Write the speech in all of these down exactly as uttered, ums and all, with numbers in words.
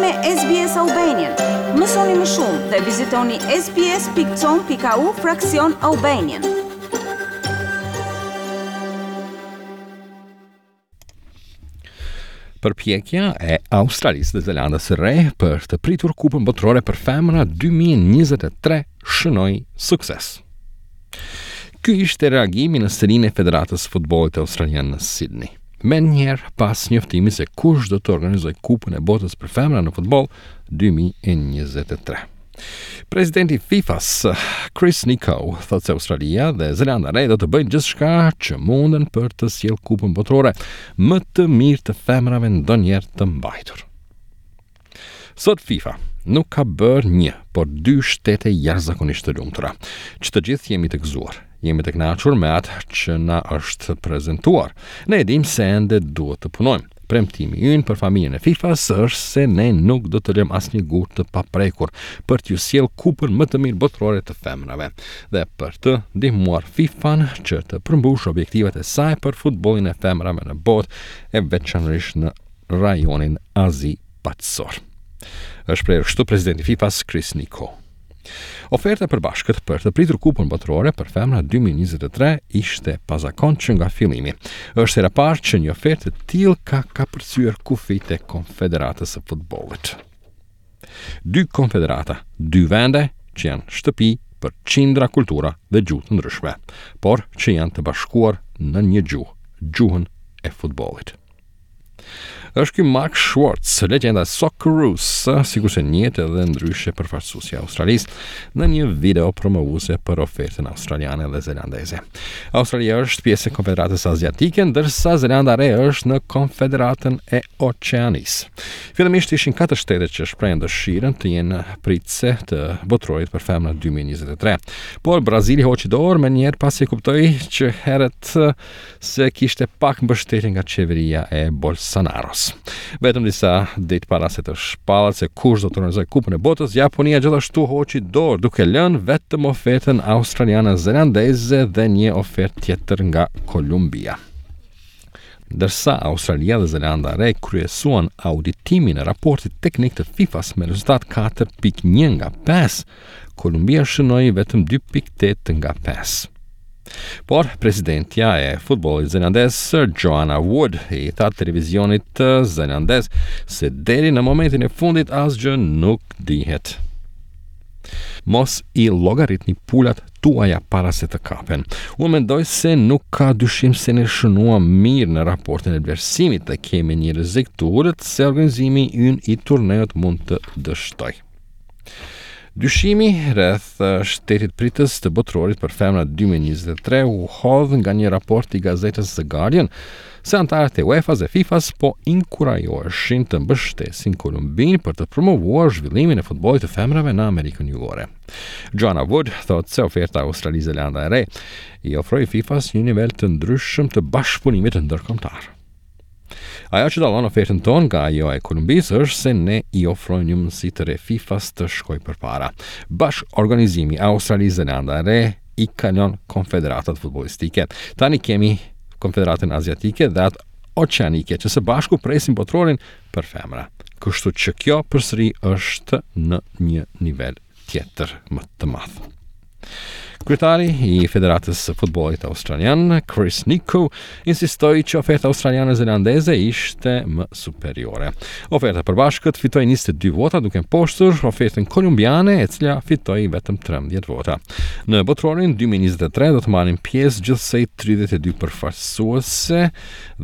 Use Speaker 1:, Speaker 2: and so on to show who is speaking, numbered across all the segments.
Speaker 1: me S B S Albanian. Mësoni më shumë dhe vizitoni S B S pikë com pikë A U fraksion Albanian.
Speaker 2: Përpjekja e Australisë dhe Zelandës së Re për të pritur Kupën Botërore për Femra dy mijë e njëzet e tre shënoi sukses. Ky ishte reagimi në selinë e Federatës së Futbollit Australian në Sydney, menjëherë pas njoftimit se kush do të organizojë Kupën e Botës për Femra në futboll dy mijë e njëzet e tre. Presidenti FIFA-s, Chris Nico, thotë se Australia dhe Zelanda e Re do të bëjnë gjithçka që munden për të sjellë Kupën Botërore më të mirë të femrave ndonjëherë të mbajtur. Sot FIFA nuk ka bërë një, por dy shtete jashtëzakonisht të lumtura, që të gjithë jemi të gëzuar. Jemi të kënaqur me atë që na është prezantuar. Ne e dimë se ende duhet të punojmë. Premtimi ynë për familjen e FIFA-s është se ne nuk do të lëmë asnjë gur të paprekur për t'ju sjellë kupën më të mirë botërore të femrave dhe për të ndihmuar FIFA-n që të përmbushë objektivat e saj për futbollin e femrave në botë, e veçanërisht në rajonin Azi Paqësor. Është shprehur kështu presidenti FIFA-s, Chris Nico. Oferta e përbashkët për të pritur Kupën Botërore për Femra dy mijë e njëzet e tre ishte pazakon që nga fillimi. Është hera parë që një ofertë e tillë ka kapërcyer kufijtë e Konfederatës së Futbollit. Dy konfederata, dy vende që janë shtëpi për qindra kultura dhe gjuhë të ndryshme, por që janë të bashkuar në një gjuhë, gjuhën e futbollit. Është ky Mark Schwartz, legjenda Socceroos, sikurse njihet edhe ndryshe përfaqësuesi i Australisë, në një video promovuese për ofertën australiane dhe zelandeze. Australia është pjesë e Konfederatës Aziatike, ndërsa Zelanda e Re është në Konfederatën e Oqeanisë. Fillimisht ishin katër shtete që shprehën dëshirën të jenë pritëse të botërorit për femra dy mijë e njëzet e tre. Por Brazili hoqi dorë menjëherë pasi e kuptoi që herët se kishte pak mbështetje nga qeveria e Bolsonaros. Vetëm disa ditë para se të shpallet se kush do të organizojë Kupën e Botës, Japonia gjithashtu hoqi dorë, duke lënë vetëm ofertën australiane, zelandeze dhe një ofertë tjetër nga Kolumbia. Ndërsa Australia dhe Zelanda e Re kryesuan auditimin e raportit teknik të FIFA-s me rezultat katër pikë një nga pesë, Kolumbia shënoi vetëm dy pikë tetë nga pesë. Por presidentja e futbollit zelandez, Joanna Wood, i tha televizionit zelandez se deri në momentin e fundit asgjë nuk dihet. Mos i llogaritni pulat tuaja para se të kapen. Unë mendoj se nuk ka dyshim se ne shënuam mirë në raportin e vlerësimit dhe kemi një rrezik të ulët se organizimi ynë i turneut mund të dështojë. Dyshimi rreth shtetit pritës të botërorit për femra dy mijë e njëzet e tre u hodh nga një raport i gazetës The Guardian se anëtarët e UEFA-s dhe FIFA-s po inkurajoheshin të mbështesin Kolumbinë për të promovuar zhvillimin e futbollit të femrave në Amerikën Jugore. Joanna Wood thotë se oferta Australi-Zelanda e Re i ofroi FIFA-s një nivel të ndryshëm të bashkëpunimit ndërkombëtar. Ajo që dallon ofertën tonë nga ajo e Kolumbisë është se ne i ofrojmë një mundësi të re FIFA-s të shkojë përpara. Bashkë organizimi Australi-Zelanda e Re i kalon konfederatat futbollistike. Tani kemi Konfederatën Aziatike dhe atë Oqeanike që së bashku presin botërorin për femra. Kështu që kjo përsëri është në një nivel tjetër më të madh. Kryetari i Federatës së Futbollit Australian, Chris Nico, insistoi që oferta australiane zelandeze ishte më superiore. Oferta e përbashkët fitoi njëzet e dy vota, duke mposhtur ofertën kolumbiane, e cila fitoi vetëm trembëdhjetë vota. Në botërorin dy mijë e njëzet e tre do të marrin pjesë gjithsej tridhjetë e dy përfaqësuese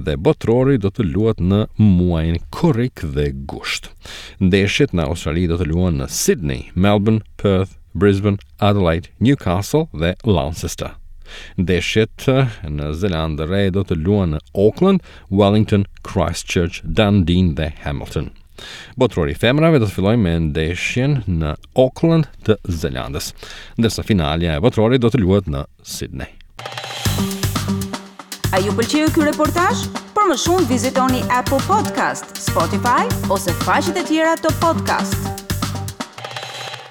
Speaker 2: dhe botërori do të luhet në muajin korrik dhe gusht. Ndeshjet në Australi do të luhen në Sydney, Melbourne, Perth, Brisbane, Adelaide, Newcastle dhe Launceston. Ndeshjet në Zelandë Re do të luhen në Auckland, Wellington, Christchurch, Dunedin dhe Hamilton. Botërori i femrave do të fillojë me ndeshjen në Auckland të Zelandës, ndërsa finalja e botërorit do të luhet në Sydney.
Speaker 1: A ju pëlqeu ky reportazh? Për më shumë vizitoni Apple Podcast, Spotify ose faqet e tjera të podcast.